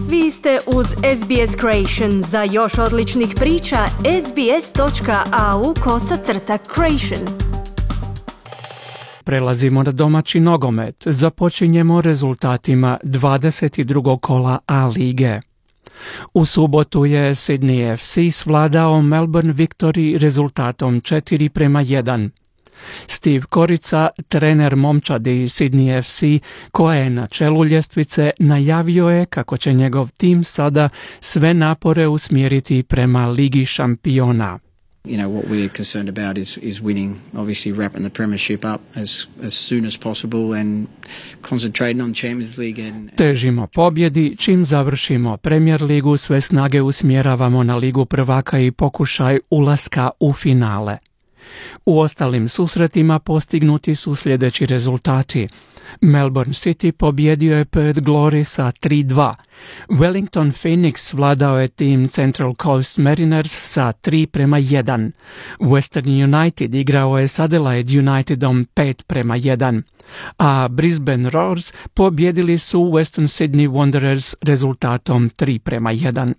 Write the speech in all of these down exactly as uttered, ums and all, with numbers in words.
Vi ste uz S B S Creation. Za još odličnih priča, sbs.au kosacrta creation. Prelazimo na domaći nogomet. Započinjemo rezultatima dvadeset drugog kola A lige. U subotu je Sydney F C svladao Melbourne Victory rezultatom četiri prema jedan. Steve Korica, trener momčadi Sydney F C, koja je na čelu ljestvice, najavio je kako će njegov tim sada sve napore usmjeriti prema Ligi šampiona. You know, what we're concerned about is, is winning, obviously wrapping the premiership up as, as soon as possible and concentrating on Champions League. And... Težimo pobjedi, čim završimo Premier ligu, sve snage usmjeravamo na Ligu prvaka i pokušaj ulaska u finale. U ostalim susretima postignuti su sljedeći rezultati. Melbourne City pobjedio je Perth Glory sa tri dva. Wellington Phoenix vladao je tim Central Coast Mariners sa tri prema jedan. Western United igrao je s Adelaide Unitedom pet prema jedan. A Brisbane Roars pobjedili su Western Sydney Wanderers rezultatom tri prema jedan.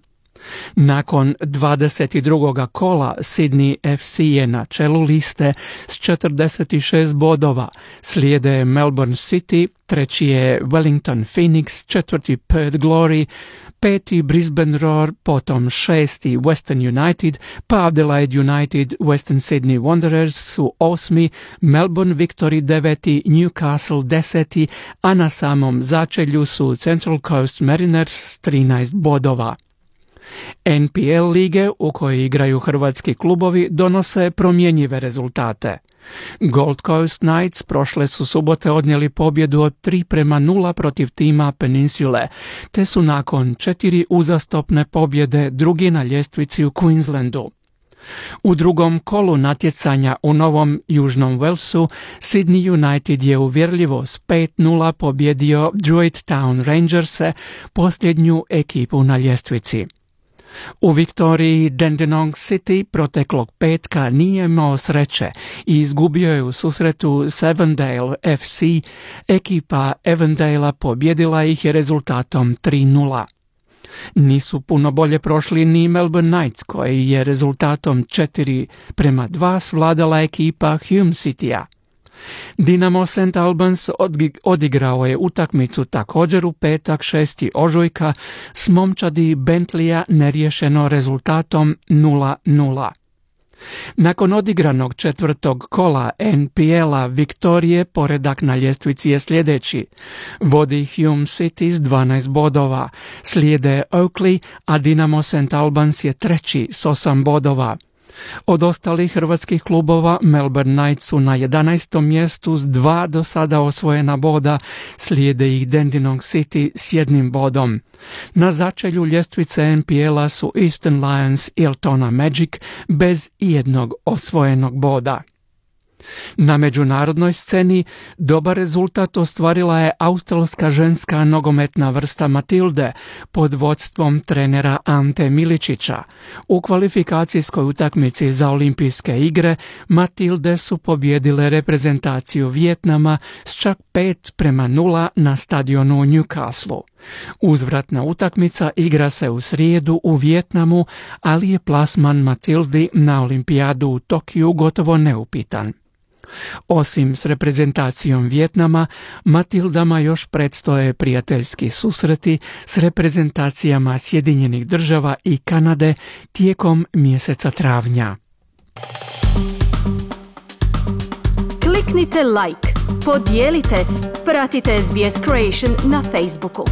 Nakon dvadeset drugog kola Sydney F C je na čelu liste s četrdeset šest bodova, slijede Melbourne City, treći je Wellington Phoenix, četvrti Perth Glory, peti Brisbane Roar, potom šesti Western United, pa Adelaide United, Western Sydney Wanderers su osmi, Melbourne Victory deveti, Newcastle deseti, a na samom začelju su Central Coast Mariners s trinaest bodova. N P L lige u kojoj igraju hrvatski klubovi donose promjenjive rezultate. Gold Coast Knights prošle su subote odnijeli pobjedu od tri prema nula protiv tima Peninsule, te su nakon četiri uzastopne pobjede drugi na ljestvici u Queenslandu. U drugom kolu natjecanja u Novom Južnom Walesu, Sydney United je uvjerljivo s pet nula pobjedio Druid Town Rangerse, posljednju ekipu na ljestvici. U Viktoriji Dandenong City proteklog petka nije imao sreće i izgubio je u susretu s Avondale F C. Ekipa Avondalea pobjedila ih je rezultatom tri nula. Nisu puno bolje prošli ni Melbourne Knights, koji je rezultatom četiri prema dva svladala ekipa Hume Citya. Dinamo Saint Albans odigrao je utakmicu također u petak šesti ožujka s momčadi Bentleya neriješeno rezultatom nula nula. Nakon odigranog četvrtog kola N P L-a Viktorije poredak na ljestvici je sljedeći. Vodi Hume City s dvanaest bodova, slijede Oakley, a Dinamo Saint Albans je treći s osam bodova. Od ostalih hrvatskih klubova Melbourne Knights su na jedanaestom mjestu s dva do sada osvojena boda, slijede ih Dandenong City s jednim bodom. Na začelju ljestvice N P L-a su Eastern Lions i Altona Magic bez ijednog osvojenog boda. Na međunarodnoj sceni dobar rezultat ostvarila je australska ženska nogometna vrsta Matilde pod vodstvom trenera Ante Miličića. U kvalifikacijskoj utakmici za olimpijske igre Matilde su pobjedile reprezentaciju Vijetnama s čak pet prema nula na stadionu u Newcastleu. Uzvratna utakmica igra se u srijedu u Vijetnamu, ali je plasman Matildi na olimpijadu u Tokiju gotovo neupitan. Osim s reprezentacijom Vijetnama, Matildama još predstoje prijateljski susreti s reprezentacijama Sjedinjenih država i Kanade tijekom mjeseca travnja. Kliknite like, podijelite, pratite S B S Creation na Facebooku.